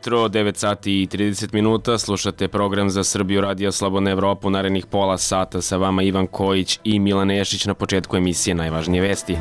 jutro, 9 sati i 30 minuta, slušate program za Srbiju Radio Slobodna Evropa, narednih pola sata sa vama Ivan Kojić i Milan Nešić. Na početku emisije najvažnije vesti.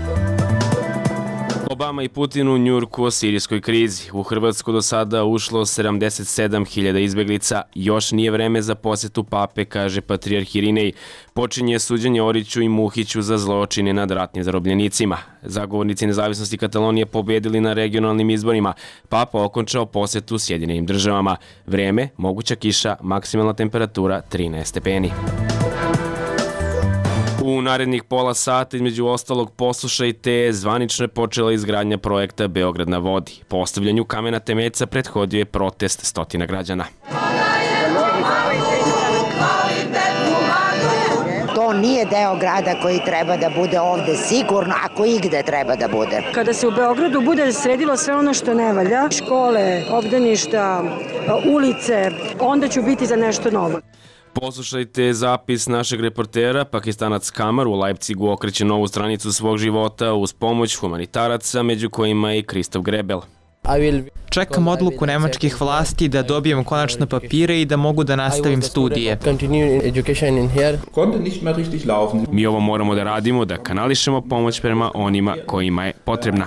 Obama i Putin u Njujorku o sirijskoj krizi. U Hrvatsku do sada ušlo 77.000 izbeglica. Još nije vreme za posetu pape, kaže patrijarh Irinej. Počinje suđenje Oriću i Muhiću za zločine nad ratnim zarobljenicima. Zagovornici nezavisnosti Katalonije pobedili na regionalnim izborima. Papa okončao posetu Sjedinjenim državama. Vreme, moguća kiša, maksimalna temperatura 13 stepeni. U narednih pola sata, između ostalog, poslušajte, zvanično je počela izgradnja projekta Beograd na vodi. Postavljanju kamena temeljca prethodio je protest stotina građana. To nije deo grada koji treba da bude ovde sigurno, ako igde treba da bude. Kada se u Beogradu bude sredilo sve ono što ne valja, škole, obdaništa, ulice, onda ću biti za nešto novo. Poslušajte zapis našeg reportera. Pakistanac Kamar u Leipzigu okreće novu stranicu svog života uz pomoć humanitaraca, među kojima je i Kristof Grebel. Čekam odluku nemačkih vlasti da dobijem konačno papire i da mogu da nastavim studije. Mi ovo moramo da radimo, da kanališemo pomoć prema onima kojima je potrebna.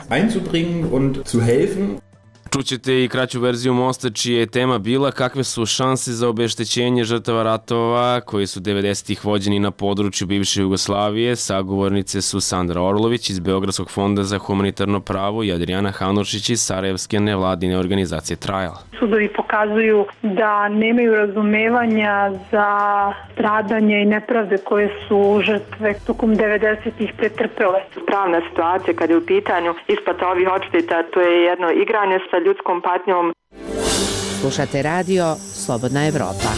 Čućete i kraću verziju Mosta, čija je tema bila kakve su šanse za obeštećenje žrtava ratova koji su 90-ih vođeni na području bivše Jugoslavije. Sagovornice su Sandra Orlović iz Beogradskog fonda za humanitarno pravo i Adriana Hanušić iz Sarajevske nevladine organizacije Trial. Sudovi pokazuju da nemaju razumevanja za stradanje i nepravde koje su žrtve tokom 90-ih pretrpele. Pravna situacija kada je u pitanju isplata ovih odšteta, to je jedno igranje sa ljudskom patnjom. Slušate radio Slobodna Evropa.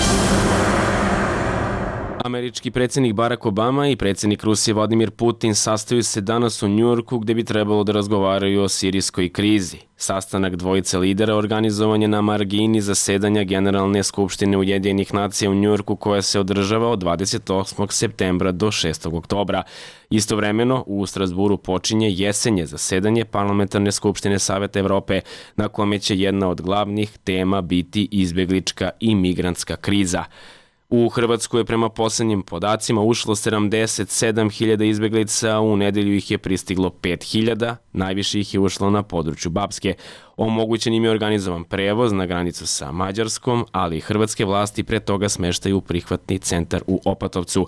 Američki predsjednik Barack Obama i predsjednik Rusije Vladimir Putin sastaju se danas u Njujorku gde bi trebalo da razgovaraju o sirijskoj krizi. Sastanak dvojice lidera organizovan je na margini zasedanja Generalne skupštine Ujedinjenih nacija u Njujorku koja se održava od 28. septembra do 6. oktobra. Istovremeno u Strasburu počinje jesenje zasedanje Parlamentarne skupštine Saveta Evrope na kome će jedna od glavnih tema biti izbeglička i migrantska kriza. U Hrvatsku je prema poslednjim podacima ušlo 77.000 izbeglica, u nedelju ih je pristiglo 5.000, najviše ih je ušlo na području Bapske. Omogućen im je organizovan prevoz na granicu sa Mađarskom, ali i hrvatske vlasti pre toga smeštaju prihvatni centar u Opatovcu.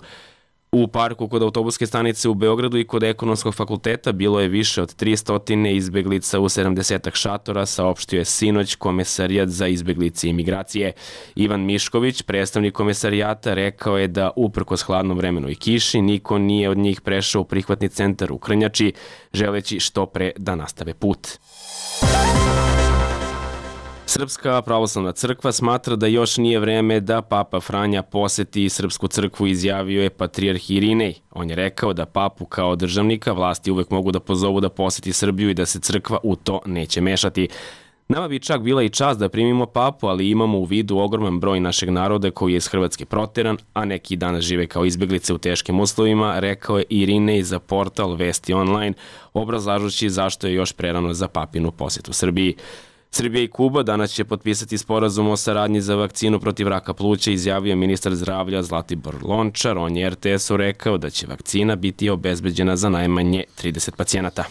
U parku kod autobuske stanice u Beogradu i kod Ekonomskog fakulteta bilo je više od 300 izbeglica u 70 šatora, saopštio je sinoć Komesarijat za izbeglice i migracije. Ivan Mišković, predstavnik komesarijata, rekao je da uprkos hladnom vremenu i kiši niko nije od njih prešao u prihvatni centar u Krnjači, želeći što pre da nastave put. Srpska pravoslavna crkva smatra da još nije vreme da Papa Franja poseti Srpsku crkvu, izjavio je patrijarh Irinej. On je rekao da papu kao državnika vlasti uvek mogu da pozovu da poseti Srbiju i da se crkva u to neće mešati. Nama bi čak bila i čast da primimo papu, ali imamo u vidu ogroman broj našeg naroda koji je iz Hrvatske proteran, a neki danas žive kao izbeglice u teškim uslovima, rekao je Irinej za portal Vesti online, obrazlažući zašto je još prerano za papinu posetu Srbiji. Srbija i Kuba danas će potpisati sporazum o saradnji za vakcinu protiv raka pluća, izjavio ministar zdravlja Zlatibor Lončar. On je RTS-u rekao da će vakcina biti obezbeđena za najmanje 30 pacijenata.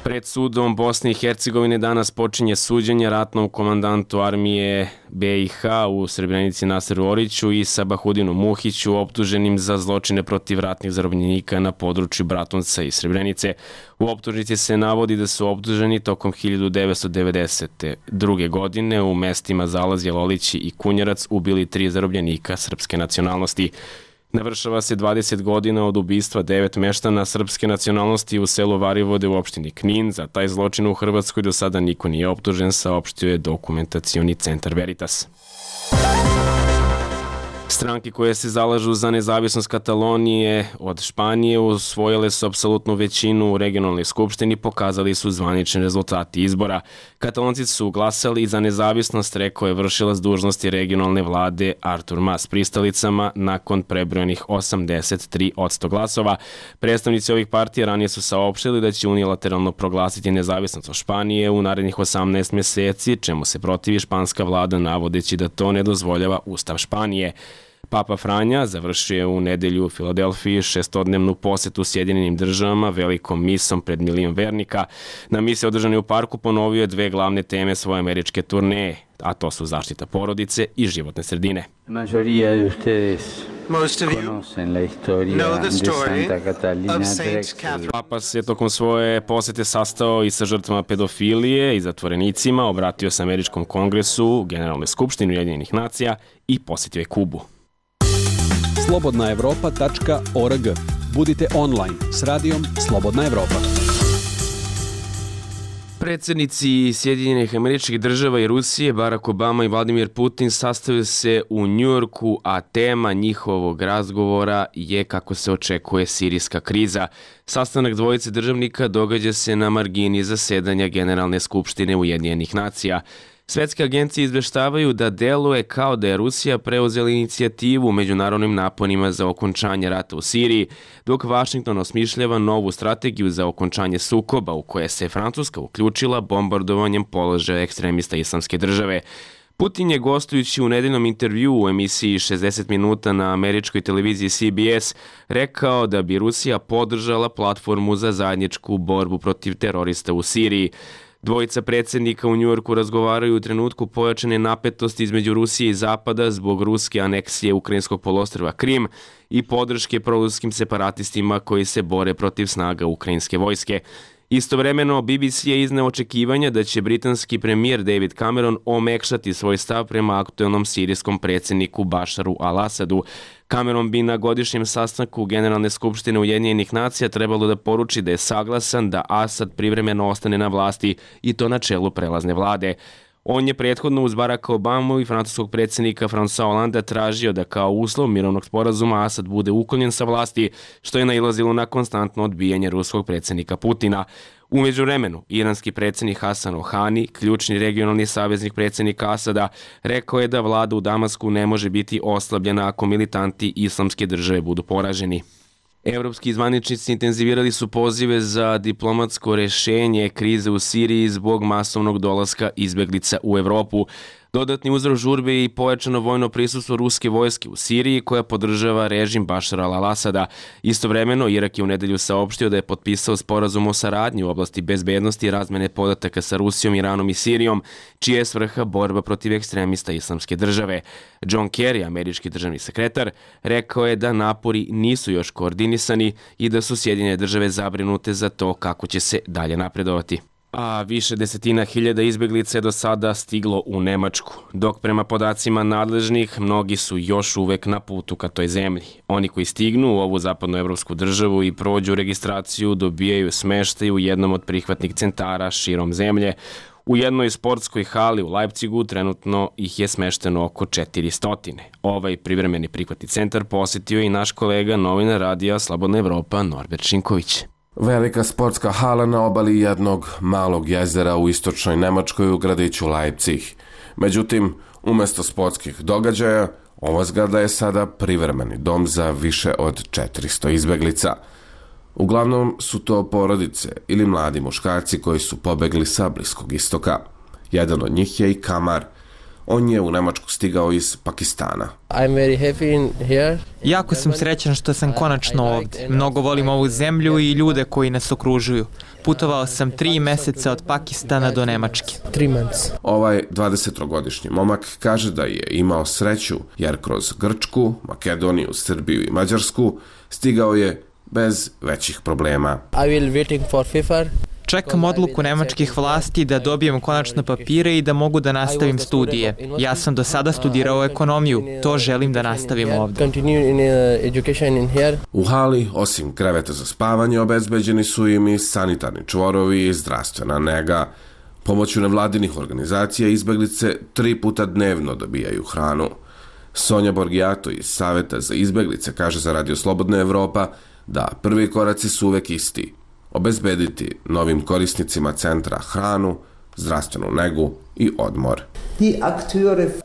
Pred sudom Bosne i Hercegovine danas počinje suđenje ratnom komandantu armije BiH u Srebrenici Naseru Oriću i Sabahudinu Muhiću, optuženim za zločine protiv ratnih zarobljenika na području Bratunca i Srebrenice. U optužnici se navodi da su optuženi tokom 1992. godine u mestima Zalazje, Lolići i Kunjerac ubili 3 zarobljenika srpske nacionalnosti. Navršava se 20 godina od ubistva 9 meštana srpske nacionalnosti u selu Varivode u opštini Knin. Za taj zločin u Hrvatskoj do sada niko nije optužen, saopštio je dokumentacioni centar Veritas. Stranke koje se zalažu za nezavisnost Katalonije od Španije usvojile su apsolutnu većinu u regionalnoj skupštini, pokazali su zvanični rezultati izbora. Katalonci su glasali za nezavisnost, rekao je vršilac dužnosti regionalne vlade Artur Mas pristalicama nakon prebrojenih 83% glasova. Predstavnici ovih partija ranije su saopštili da će unilateralno proglasiti nezavisnost od Španije u narednih 18 mjeseci, čemu se protivi španska vlada navodeći da to ne dozvoljava Ustav Španije. Papa Franja završio je u nedelju u Filadelfiji 6-dnevnu posetu Sjedinjenim državama velikom misom pred milion vernika. Na misi održanoj u parku ponovio je dve glavne teme svoje američke turneje, a to su zaštita porodice i životne sredine. Most of you know the story of Saint Catherine. Papa se tokom svoje posete sastao i sa žrtvama pedofilije i zatvorenicima, obratio se Američkom kongresu, Generalnoj skupštini Ujedinjenih nacija i posjetio je Kubu. slobodnaevropa.org. Budite online s radijom Slobodna Evropa. Predsjednici Sjedinjenih Američkih Država i Rusije, Barack Obama i Vladimir Putin, sastaju se u Njujorku, a tema njihovog razgovora je, kako se očekuje, sirijska kriza. Sastanak dvojice državnika događa se na margini zasedanja Generalne skupštine Ujedinjenih nacija. Svetske agencije izveštavaju da deluje kao da je Rusija preuzela inicijativu u međunarodnim naponima za okončanje rata u Siriji, dok Vašington osmišljava novu strategiju za okončanje sukoba u koje se Francuska uključila bombardovanjem položaja ekstremista Islamske države. Putin je, gostujući u nedeljnom intervjuu u emisiji 60 minuta na američkoj televiziji CBS, rekao da bi Rusija podržala platformu za zajedničku borbu protiv terorista u Siriji. Dvojica predsjednika u Njujorku razgovaraju u trenutku pojačane napetosti između Rusije i Zapada zbog ruske aneksije ukrajinskog poluostrva Krim i podrške proruskim separatistima koji se bore protiv snaga ukrajinske vojske. Istovremeno, BBC je izneo očekivanja da će britanski premijer David Cameron omekšati svoj stav prema aktuelnom sirijskom predsjedniku Bašaru al-Asadu. Cameron bi na godišnjem sastanku Generalne skupštine Ujedinjenih nacija trebalo da poruči da je saglasan da Asad privremeno ostane na vlasti i to na čelu prelazne vlade. On je prethodno uz Baracka Obamu i francuskog predsjednika François Hollanda tražio da kao uslov mirovnog sporazuma Asad bude uklonjen sa vlasti, što je nailazilo na konstantno odbijanje ruskog predsjednika Putina. U međuvremenu, iranski predsjednik Hasan Rohani, ključni regionalni saveznik predsjednika Asada, rekao je da vlada u Damasku ne može biti oslabljena ako militanti Islamske države budu poraženi. Evropski zvaničnici intenzivirali su pozive za diplomatsko rešenje krize u Siriji zbog masovnog dolaska izbeglica u Evropu. Dodatni uzrok žurbe je i pojačano vojno prisustvo ruske vojske u Siriji koja podržava režim Bašara al-Asada. Istovremeno, Irak je u nedelju saopštio da je potpisao sporazum o saradnji u oblasti bezbednosti i razmene podataka sa Rusijom, Iranom i Sirijom, čija je svrha borba protiv ekstremista Islamske države. John Kerry, američki državni sekretar, rekao je da napori nisu još koordinisani i da su Sjedinjene države zabrinute za to kako će se dalje napredovati. A više desetina hiljada izbeglica je do sada stiglo u Nemačku, dok prema podacima nadležnih mnogi su još uvek na putu ka toj zemlji. Oni koji stignu u ovu zapadnoevropsku državu i prođu registraciju dobijaju smeštaj u jednom od prihvatnih centara širom zemlje. U jednoj sportskoj hali u Leipzigu trenutno ih je smešteno oko 400. Ovaj privremeni prihvatni centar posjetio i naš kolega, novinar radija Slobodna Evropa, Norbert Šinković. Velika sportska hala na obali jednog malog jezera u istočnoj Nemačkoj u gradiću Leipzig. Međutim, umjesto sportskih događaja, ova zgrada je sada privremeni dom za više od 400 izbeglica. Uglavnom su to porodice ili mladi muškarci koji su pobegli sa Bliskog istoka. Jedan od njih je i Kamar. On je u Nemačku stigao iz Pakistana. Jako sam srećan što sam konačno ovdje. Mnogo volim ovu zemlju i ljude koji nas okružuju. Putovao sam 3 meseca od Pakistana do Nemačke. Ovaj 20-godišnji momak kaže da je imao sreću jer kroz Grčku, Makedoniju, Srbiju i Mađarsku stigao je bez većih problema. Čekam odluku nemačkih vlasti da dobijem konačno papire i da mogu da nastavim studije. Ja sam do sada studirao ekonomiju, to želim da nastavim ovdje. U hali, osim kreveta za spavanje, obezbeđeni su im i sanitarni čvorovi i zdravstvena nega. Pomoću nevladinih organizacija izbeglice 3 puta dnevno dobijaju hranu. Sonja Borgijato iz Saveta za izbeglice kaže za Radio Slobodna Evropa da prvi koraci su uvek isti. Obezbediti novim korisnicima centra hranu, zdravstvenu negu i odmor.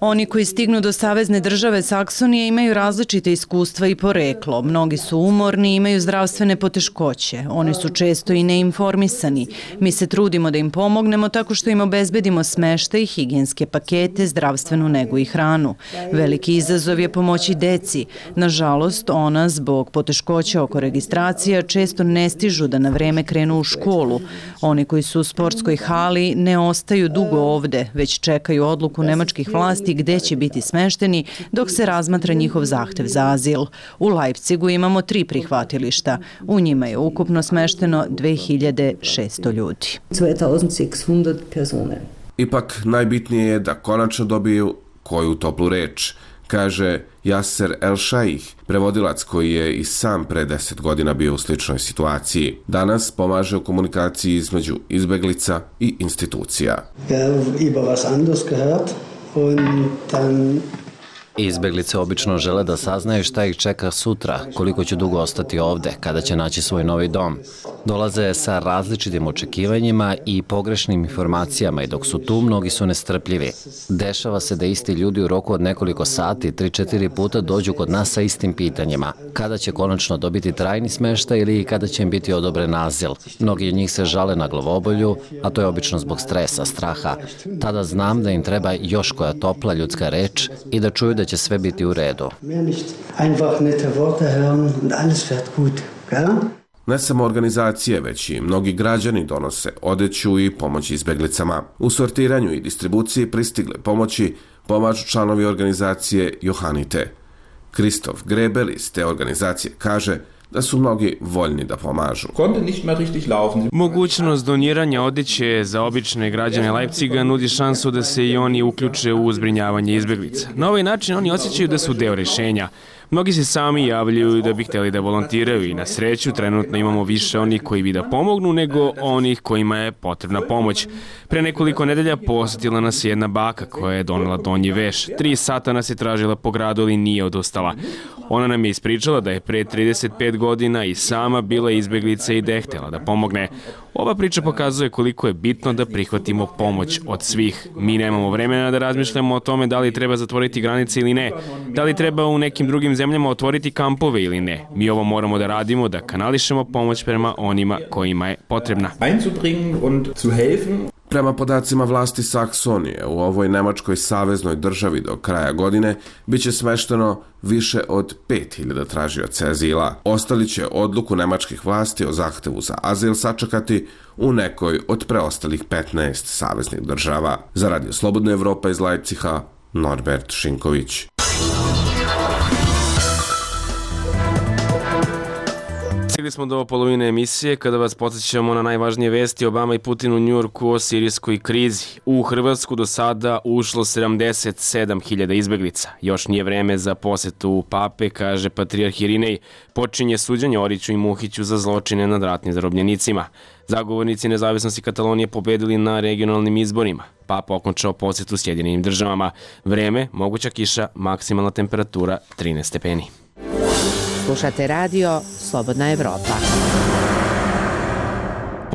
Oni koji stignu do savezne države Saksonije imaju različite iskustva i poreklo. Mnogi su umorni i imaju zdravstvene poteškoće. Oni su često i neinformisani. Mi se trudimo da im pomognemo tako što im obezbedimo smeštaj, higijenske pakete, zdravstvenu negu i hranu. Veliki izazov je pomoći deci. Nažalost, ona zbog poteškoća oko registracija često ne stižu da na vreme krenu u školu. Oni koji su u sportskoj hali ne ostaju dugo ovde, već čekaju odluku nemačkih vlasti gde će biti smešteni dok se razmatra njihov zahtev za azil. U Leipzigu imamo 3 prihvatilišta. U njima je ukupno smešteno 2600 ljudi. 2600 persone. Ipak najbitnije je da konačno dobiju koju toplu reč, kaže Yasser El-Shaikh, prevodilac koji je i sam pre 10 godina bio u sličnoj situaciji. Danas pomaže u komunikaciji između izbeglica i institucija. Izbeglice obično žele da saznaju šta ih čeka sutra, koliko će dugo ostati ovde, kada će naći svoj novi dom. Dolaze sa različitim očekivanjima i pogrešnim informacijama i dok su tu, mnogi su nestrpljivi. Dešava se da isti ljudi u roku od nekoliko sati, 3-4 puta dođu kod nas sa istim pitanjima. Kada će konačno dobiti trajni smeštaj ili kada će im biti odobren azil. Mnogi od njih se žale na glavobolju, a to je obično zbog stresa, straha. Tada znam da im treba još koja topla ljudska reč i da čuju da će sve biti u redu. Ne samo organizacije, već i mnogi građani donose odeću i pomoć izbeglicama. U sortiranju i distribuciji pristigle pomoći pomažu članovi organizacije Johanite. Kristof Grebel iz te organizacije kaže da su mnogi voljni da pomažu. Mogućnost doniranja odeće za obične građane Leipziga nudi šansu da se i oni uključe u zbrinjavanje izbeglica. Na ovaj način oni osjećaju da su deo rešenja. Mnogi se sami javljaju da bi hteli da volontiraju i na sreću trenutno imamo više onih koji bi da pomognu nego onih kojima je potrebna pomoć. Pre nekoliko nedelja posetila nas jedna baka koja je donela donji veš. 3 sata nas je tražila po gradu, ali nije odustala. Ona nam je ispričala da je pre 35 godina i sama bila izbeglica i da je htela da pomogne. Ova priča pokazuje koliko je bitno da prihvatimo pomoć od svih. Mi nemamo vremena da razmišljamo o tome da li treba zatvoriti granice ili ne, da li treba u nekim drugim zemljama otvoriti kampove ili ne. Mi ovo moramo da radimo, da kanališemo pomoć prema onima kojima je potrebna. Prema podacima vlasti Saksonije, u ovoj nemačkoj saveznoj državi do kraja godine biće smešteno više od 5000 tražioca azila. Ostali će odluku nemačkih vlasti o zahtevu za azil sačekati u nekoj od preostalih 15 saveznih država. Za Radio Slobodna Evropa iz Leipziga, Norbert Šinković. Stigli smo do polovine emisije kada vas podsjećamo na najvažnije vesti Obama i Putin u Njujorku o sirijskoj krizi. U Hrvatsku do sada ušlo 77.000 izbeglica. Još nije vreme za posetu pape, kaže patrijarh Irinej. Počinje suđenje Oriću i Muhiću za zločine nad ratnim zarobljenicima. Zagovornici nezavisnosti Katalonije pobedili na regionalnim izborima. Papa okončao posetu Sjedinjenim državama. Vreme, moguća kiša, maksimalna temperatura 13 stepeni. Slušate radio Slobodna Evropa.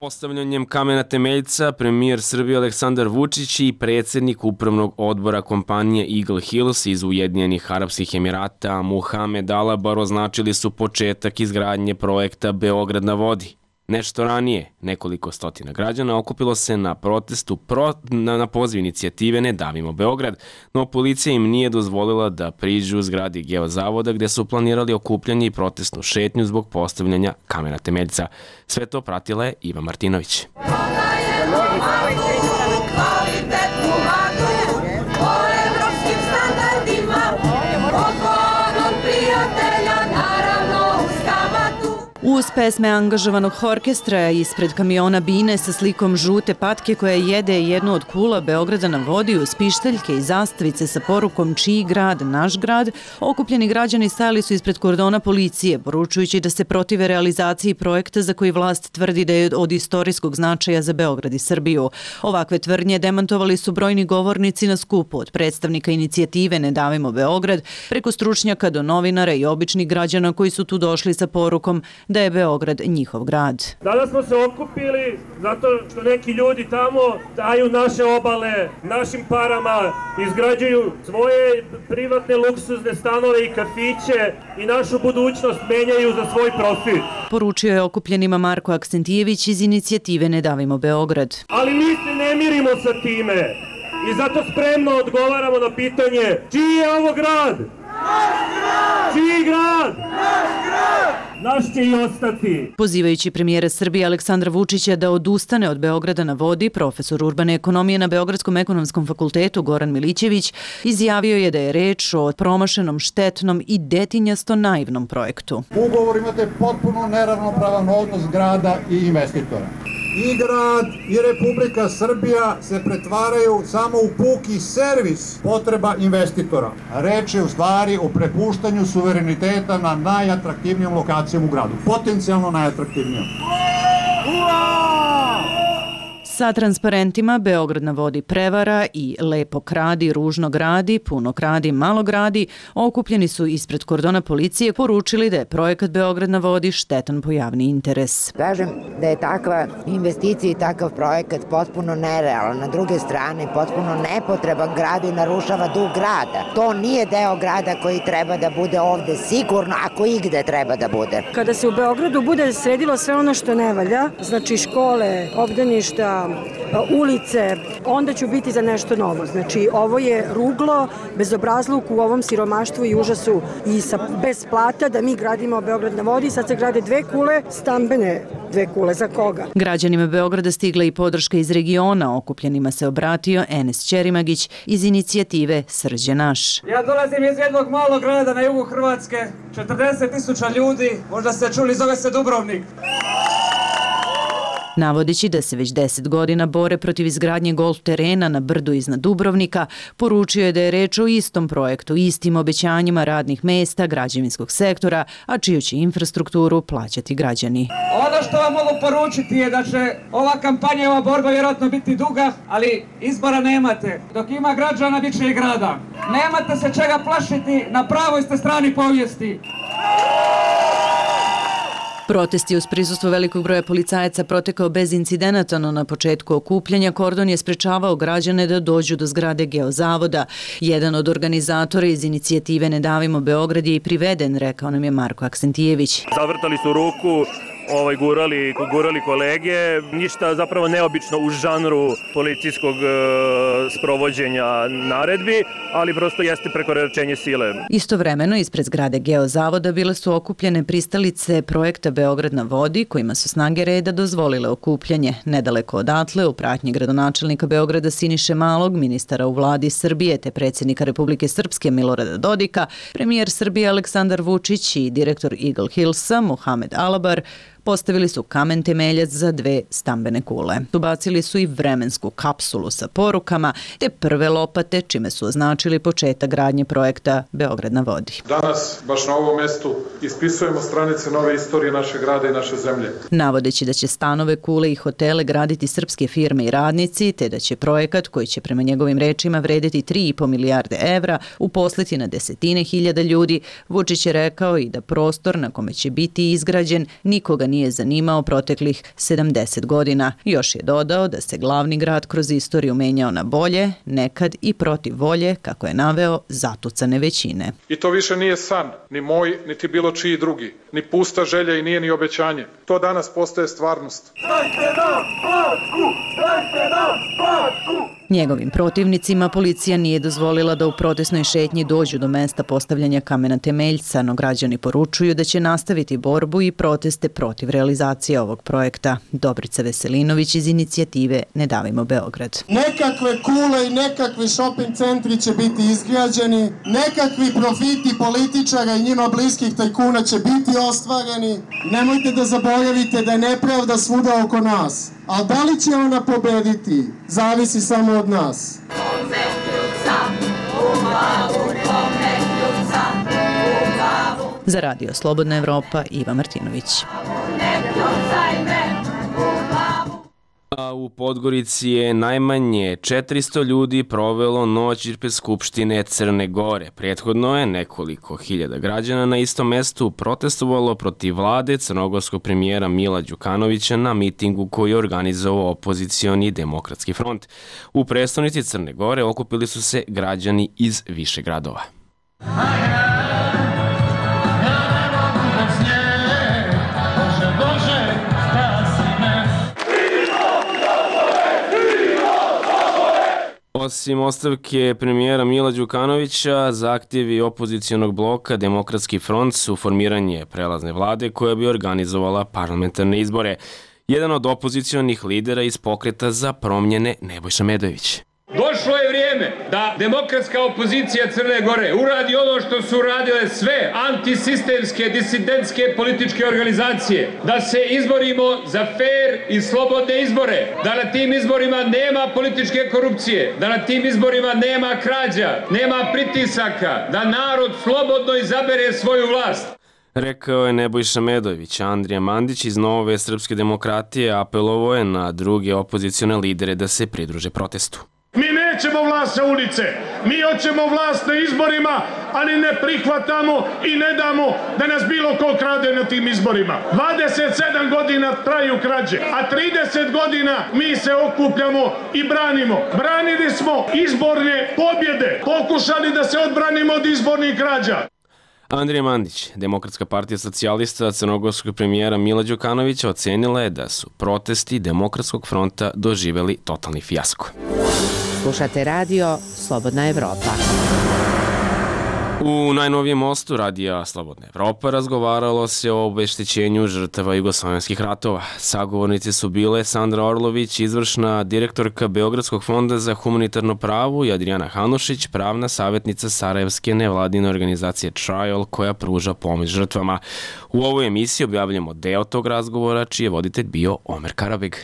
Postavljanjem kamena temeljca premijer Srbije Aleksandar Vučić i predsjednik upravnog odbora kompanije Eagle Hills iz Ujedinjenih Arapskih Emirata Muhamed Alabar označili su početak izgradnje projekta Beograd na vodi. Nešto ranije, nekoliko stotina građana okupilo se na protestu na poziv inicijative Ne davimo Beograd, no policija im nije dozvolila da priđu zgradi Geozavoda gde su planirali okupljanje i protestnu šetnju zbog postavljanja kamena temeljca. Sve to pratila je Iva Martinović. U Uz pesme angažovanog orkestra ispred kamiona Bine sa slikom žute patke koja jede jednu od kula Beograda na vodi uz pištaljke i zastavice sa porukom čiji grad, naš grad, okupljeni građani stajali su ispred kordona policije, poručujući da se protive realizaciji projekta za koji vlast tvrdi da je od istorijskog značaja za Beograd i Srbiju. Ovakve tvrdnje demantovali su brojni govornici na skupu, od predstavnika inicijative Ne davimo Beograd, preko stručnjaka do novinara i običnih građana koji su tu došli sa porukom da je Beograd njihov grad. Danas smo se okupili zato što neki ljudi tamo daju naše obale, našim parama, izgrađuju svoje privatne luksuzne stanove i kafiće i našu budućnost menjaju za svoj profit. Poručio je okupljenima Marko Aksentijević iz inicijative Ne davimo Beograd. Ali mi se ne mirimo sa time i zato spremno odgovaramo na pitanje čiji je ovo grad? Naš grad! Čiji grad? Naš grad! Naš će i ostati. Pozivajući premijera Srbije Aleksandra Vučića da odustane od Beograda na vodi, profesor urbane ekonomije na Beogradskom ekonomskom fakultetu Goran Milićević izjavio je da je reč o promašenom, štetnom i detinjasto naivnom projektu. U ugovoru imate potpuno neravnopravan odnos grada i investitora. I grad i Republika Srbija se pretvaraju samo u puki servis potreba investitora. Reč je u stvari o prepuštanju suvereniteta na najatraktivnijom lokacijom u gradu. Potencijalno najatraktivnijom. Sa transparentima Beograd na vodi prevara i lepo kradi, ružno gradi, puno kradi, malo gradi, okupljeni su ispred kordona policije poručili da je projekat Beograd na vodi štetan po javni interes. Kažem da je takva investicija i takav projekat potpuno nerealan. Na druge strane, potpuno nepotreban gradu i narušava duh grada. To nije deo grada koji treba da bude ovde sigurno, ako igde treba da bude. Kada se u Beogradu bude sredilo sve ono što ne valja, znači škole, obdaništa, ulice, onda ću biti za nešto novo. Znači, ovo je ruglo, bezobrazluk u ovom siromaštvu i užasu i bez plata da mi gradimo Beograd na vodi. Sad se grade dve kule, stambene dve kule. Za koga? Građanima Beograda stigla i podrška iz regiona. Okupljenima se obratio Enes Ćerimagić iz inicijative Srđe naš. Ja dolazim iz jednog malog grada na jugu Hrvatske, 40.000 ljudi, možda ste čuli, zove se Dubrovnik. Navodeći da se već 10 godina bore protiv izgradnje golf terena na brdu iznad Dubrovnika, poručio je da je reč o istom projektu, istim obećanjima radnih mesta, građevinskog sektora, a čiju će infrastrukturu plaćati građani. Ono što vam mogu poručiti je da će ova kampanja i ova borba vjerojatno biti duga, ali izbora nemate. Dok ima građana, bit će i grada. Nemate se čega plašiti, na pravoj ste strani povijesti. Protest je uz prisustvo velikog broja policajaca protekao bez incidenata, no na početku okupljanja kordon je sprečavao građane da dođu do zgrade Geozavoda. Jedan od organizatora iz inicijative Ne davimo Beograd je i priveden, rekao nam je Marko Aksentijević. Zavrtali su ruku, gurali kolege, ništa zapravo neobično u žanru policijskog sprovođenja naredbi, ali prosto jeste prekoračenje sile. Istovremeno, ispred zgrade Geozavoda bile su okupljene pristalice projekta Beograd na vodi, kojima su snage reda dozvolile okupljanje. Nedaleko odatle, u pratnji gradonačelnika Beograda Siniše Malog, ministara u vladi Srbije te predsjednika Republike Srpske Milorada Dodika, premijer Srbije Aleksandar Vučić i direktor Eagle Hillsa Mohamed Alabar postavili su kamen temeljac za dve stambene kule. Ubacili su i vremensku kapsulu sa porukama te prve lopate, čime su označili početak gradnje projekta Beograd na vodi. Danas, baš na ovom mestu, ispisujemo stranice nove istorije našeg grada i naše zemlje. Navodeći da će stanove, kule i hotele graditi srpske firme i radnici, te da će projekat, koji će prema njegovim rečima vredeti 3,5 milijarde evra, uposliti na desetine hiljada ljudi, Vučić je rekao i da prostor na kome će biti izgrađen nikoga nije zanimao proteklih 70 godina. Još je dodao da se glavni grad kroz istoriju menjao na bolje, nekad i protiv volje, kako je naveo, zatucane većine. I to više nije san, ni moj, niti bilo čiji drugi, ni pusta želja i nije ni obećanje. To danas postaje stvarnost. Dajte nam Bačku! Dajte nam Bačku! Njegovim protivnicima policija nije dozvolila da u protestnoj šetnji dođu do mesta postavljanja kamena temeljca, no građani poručuju da će nastaviti borbu i proteste protiv realizacije ovog projekta. Dobrica Veselinović iz inicijative Ne davimo Beograd. Nekakve kule i nekakvi shopping centri će biti izgrađeni, nekakvi profiti političara i njima bliskih tajkuna će biti ostvareni. Nemojte da zaboravite da je nepravda svuda oko nas. A da li će ona pobediti, zavisi samo od nas. Za Radio Slobodna Evropa, Iva Martinović. A u Podgorici je najmanje 400 ljudi provelo noć ispred Skupštine Crne Gore. Prethodno je nekoliko hiljada građana na istom mestu protestovalo protiv vlade crnogorskog premijera Mila Đukanovića na mitingu koji je organizovao opozicioni Demokratski front. U prestonici Crne Gore okupili su se građani iz više gradova. Osim ostavke premijera Mila Đukanovića, zahtjevi opozicijonog bloka Demokratski front su formiranje prelazne vlade koja bi organizovala parlamentarne izbore. Jedan od opozicijonih lidera iz Pokreta za promjene Nebojša Medojević. Došlo je vrijeme da demokratska opozicija Crne Gore uradi ono što su uradile sve antisistemske, disidentske političke organizacije. Da se izborimo za fair i slobodne izbore. Da na tim izborima nema političke korupcije. Da na tim izborima nema krađa, nema pritisaka. Da narod slobodno izabere svoju vlast. Rekao je Nebojša Medojević. Andrija Mandić iz Nove srpske demokratije apelovao je na druge opozicione lidere da se pridruže protestu. Mi nećemo vlast sa ulice, mi hoćemo vlast na izborima, ali ne prihvatamo i ne damo da nas bilo ko krade na tim izborima. 27 godina traju krađe, a 30 godina mi se okupljamo i branimo. Branili smo izborne pobjede, pokušali da se odbranimo od izbornih krađa. Andrija Mandić, Demokratska partija socijalista crnogorskog premijera Mila Đukanovića, ocenila je da su protesti Demokratskog fronta doživeli totalni fijasko. Slušate radio Slobodna Evropa. U najnovijem mostu Radija Slobodna Evropa razgovaralo se o obeštećenju žrtava jugoslovenskih ratova. Sagovornici su bile Sandra Orlović, izvršna direktorka Beogradskog fonda za humanitarno pravo, i Adriana Hanušić, pravna savjetnica sarajevske nevladine organizacije Trial, koja pruža pomoć žrtvama. U ovoj emisiji objavljamo deo tog razgovora, čiji je voditelj bio Omer Karabeg.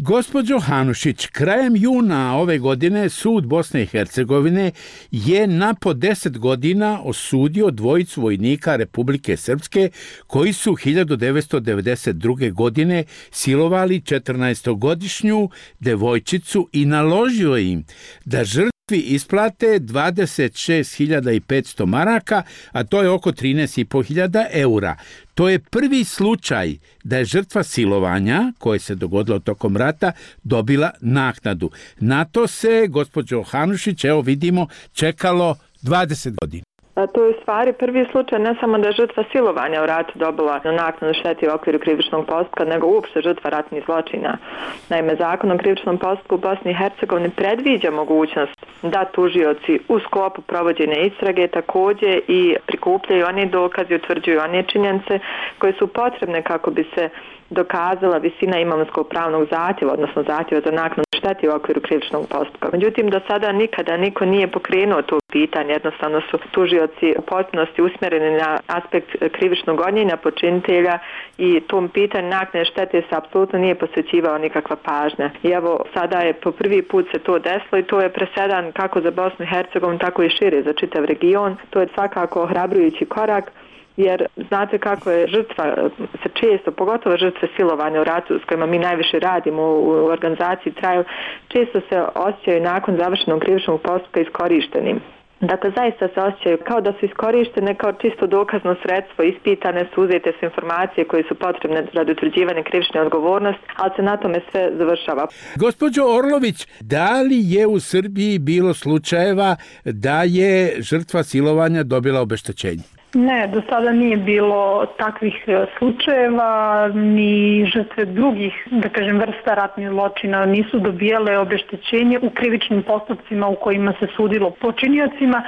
Gospođo Hanušić, krajem juna ove godine Sud Bosne i Hercegovine je na po 10 godina osudio dvojicu vojnika Republike Srpske koji su 1992. godine silovali 14-godišnju devojčicu i naložio im da žrtvi isplate 26.500 maraka, a to je oko 13.500 eura. To je prvi slučaj da je žrtva silovanja, koje se dogodilo tokom rata, dobila naknadu. Na to se, gospođo Hanušić, evo vidimo, čekalo 20 godina. To je u stvari prvi slučaj ne samo da je žrtva silovanja u ratu dobila naknadu štete u okviru krivičnog postupka, nego uopšte žrtva ratnih zločina. Naime, Zakon o krivičnom postupku u Bosni i Hercegovini predviđa mogućnost da tužioci u sklopu provođenja istrage također i prikupljaju one dokaze i utvrđuju one činjenice koje su potrebne kako bi se dokazala visina imovinskog pravnog zahtjeva, odnosno zahtjeva za naknadu štete u okviru krivičnog postupka. Međutim, do sada nikada niko nije pokrenuo to pitanje, jednostavno su tužioci u potpunosti usmjereni na aspekt krivičnog gonjenja počinitelja i tom pitanju naknade štete se apsolutno nije posvećivao nikakva pažnja. I evo, sada je po prvi put se to desilo i to je presedan kako za Bosnu i Hercegovinu, tako i šire za čitav region. To je svakako ohrabrujući korak, jer znate kako je žrtva se često, pogotovo žrtve silovanja u ratu s kojima mi najviše radimo u organizaciji Trial, često se osjećaju nakon završenog krivičnog postupka iskorištenim. Dakle, zaista se osjećaju kao da su iskorištene kao čisto dokazno sredstvo, ispitane su, uzete su informacije koje su potrebne radi utvrđivanja krivične odgovornosti, ali se na tome sve završava. Gospođo Orlović, da li je u Srbiji bilo slučajeva da je žrtva silovanja dobila obeštećenje? Ne, do sada nije bilo takvih slučajeva, ni žrtve drugih, da kažem, vrsta ratnih zločina nisu dobijale obeštećenje u krivičnim postupcima u kojima se sudilo počiniocima,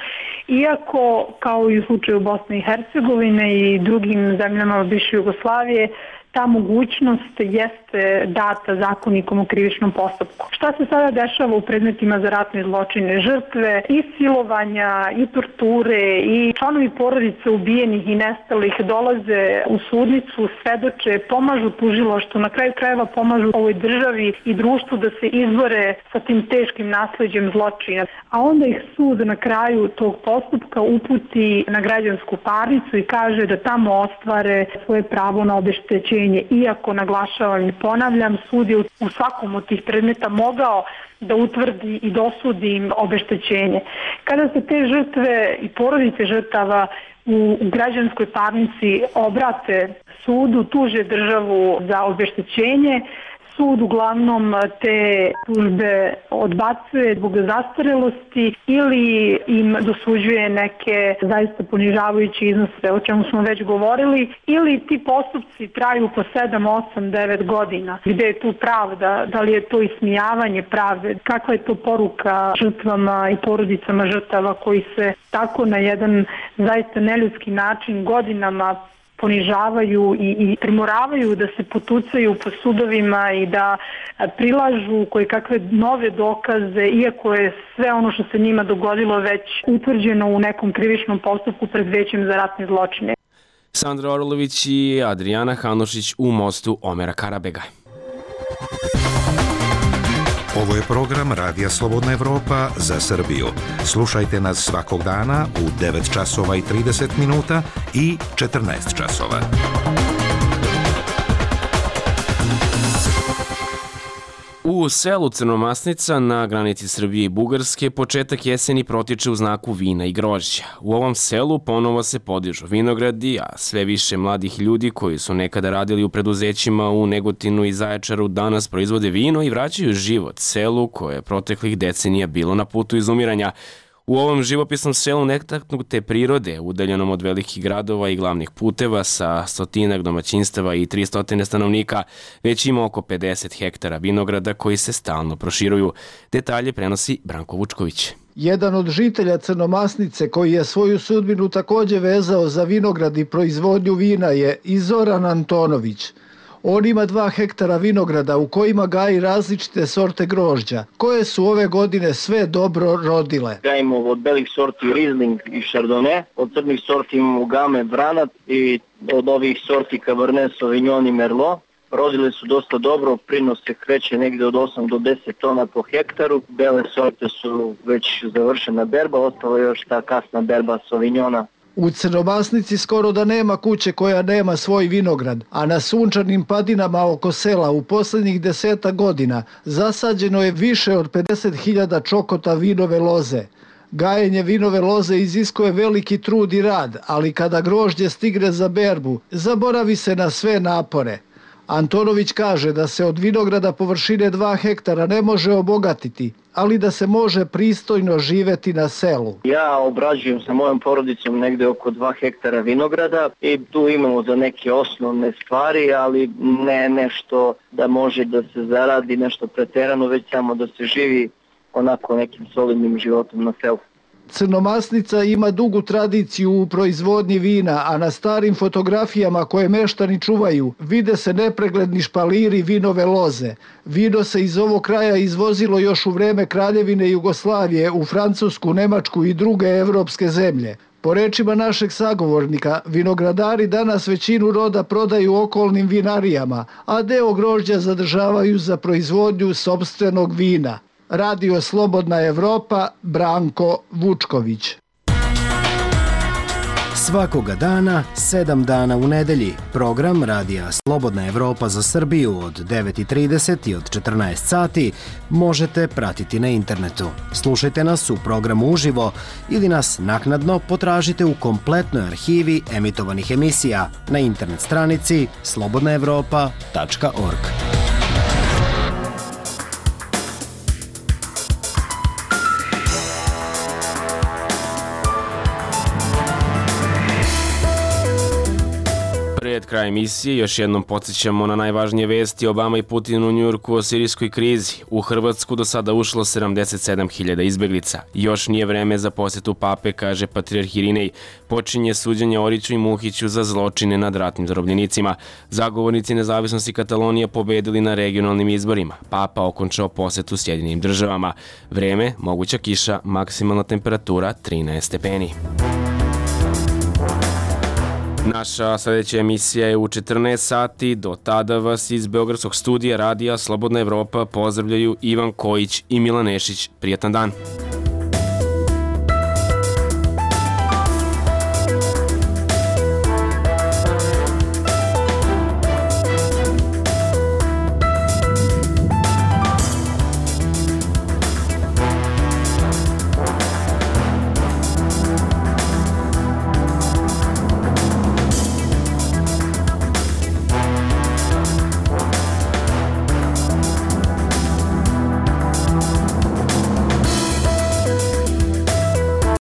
iako, kao i u slučaju Bosne i Hercegovine i drugim zemljama bivše Jugoslavije, ta mogućnost jeste data zakonikom o krivičnom postupku. Šta se sada dešava u predmetima za ratne zločine? Žrtve i silovanja, i torture, i članovi porodice ubijenih i nestalih dolaze u sudnicu, svedoče, pomažu tužilaštvu, na kraju krajeva pomažu ovoj državi i društvu da se izbore sa tim teškim nasleđem zločina. A onda ih sud na kraju tog postupka uputi na građansku parnicu i kaže da tamo ostvare svoje pravo na obeštećenje. Iako, naglašavam i ponavljam, sud je u svakom od tih predmeta mogao da utvrdi i dosudi im obeštećenje. Kada se te žrtve i porodice žrtava u građanskoj parnici obrate sudu, tuže državu za obeštećenje, sud uglavnom te tužbe odbacuje zbog zastarelosti ili im dosuđuje neke zaista ponižavajuće iznose, o čemu smo već govorili, ili ti postupci traju po 7, 8, 9 godina. Gde je tu pravda? Da li je to ismijavanje pravde? Kakva je to poruka žrtvama i porodicama žrtava koji se tako na jedan zaista neljudski način godinama ponižavaju i primoravaju da se potucaju po sudovima i da prilažu koje kakve nove dokaze, iako je sve ono što se njima dogodilo već utvrđeno u nekom krivičnom postupku pred Većem za ratne zločine. Sandra Orlović i Adrijana Hanušić u mostu Omera Karabega. Ovo je program Radija Slobodna Evropa za Srbiju. Slušajte nas svakog dana u 9 časova i 30 minuta i 14 časova. U selu Crnomasnica na granici Srbije i Bugarske početak jeseni protiče u znaku vina i grožđa. U ovom selu ponovo se podižu vinogradi, a sve više mladih ljudi koji su nekada radili u preduzećima u Negotinu i Zaječaru danas proizvode vino i vraćaju život selu koje je proteklih decenija bilo na putu izumiranja. U ovom živopisnom selu netaknute prirode, udaljenom od velikih gradova i glavnih puteva sa 100 domaćinstava i 300 stanovnika, već ima oko 50 hektara vinograda koji se stalno proširuju. Detalje prenosi Branko Vučković. Jedan od žitelja Crnomasnice koji je svoju sudbinu takođe vezao za vinograd i proizvodnju vina je i Zoran Antonović. On ima 2 hektara vinograda u kojima gaji različite sorte grožđa, koje su ove godine sve dobro rodile. Gajimo od belih sorti Riesling i Chardonnay, od crnih sorti imamo Game, Branat i od ovih sorti Cabernet Sauvignon i Merlot. Rodile su dosta dobro, prinos se kreće negde od 8 do 10 tona po hektaru. Bele sorte su već završena berba, ostala je još ta kasna berba Sauvignona. U Crnomasnici skoro da nema kuće koja nema svoj vinograd, a na sunčanim padinama oko sela u poslednjih 10 godina zasađeno je više od 50.000 čokota vinove loze. Gajenje vinove loze iziskuje veliki trud i rad, ali kada grožđe stigne za berbu, zaboravi se na sve napore. Antonović kaže da se od vinograda površine 2 hektara ne može obogatiti, ali da se može pristojno živeti na selu. Ja obrađujem sa mojom porodicom negde oko 2 hektara vinograda i tu imamo za neke osnovne stvari, ali ne nešto da može da se zaradi nešto preterano, već samo da se živi onako nekim solidnim životom na selu. Crnomasnica ima dugu tradiciju u proizvodnji vina, a na starim fotografijama koje meštani čuvaju vide se nepregledni špaliri vinove loze. Vino se iz ovog kraja izvozilo još u vreme Kraljevine Jugoslavije u Francusku, Nemačku i druge evropske zemlje. Po rečima našeg sagovornika, vinogradari danas većinu roda prodaju okolnim vinarijama, a deo grožđa zadržavaju za proizvodnju sopstvenog vina. Radio Slobodna Evropa, Branko Vučković. Svakoga dana, 7 dana u nedelji, program Radija Slobodna Evropa za Srbiju od 9:30 i od 14 sati možete pratiti na internetu. Slušajte nas u programu uživo ili nas naknadno potražite u kompletnoj arhivi emitovanih emisija na internet stranici slobodnaevropa.org. kraja emisije još jednom podsjećamo na najvažnije vesti Obama i Putin u Njujorku o sirijskoj krizi. U Hrvatsku do sada ušlo 77.000 izbeglica. Još nije vreme za posetu pape, kaže patrijarh Irinej. Počinje suđenje Oriću i Muhiću za zločine nad ratnim zarobljenicima. Zagovornici nezavisnosti Katalonije pobedili na regionalnim izborima. Papa okončao posetu Sjedinjenim državama. Vreme, moguća kiša, maksimalna temperatura 13 stepeni. Naša sledeća emisija je u 14 sati. Do tada vas iz Beogradskog studija Radija Slobodna Evropa pozdravljaju Ivan Kojić i Milan Nešić. Prijatan dan!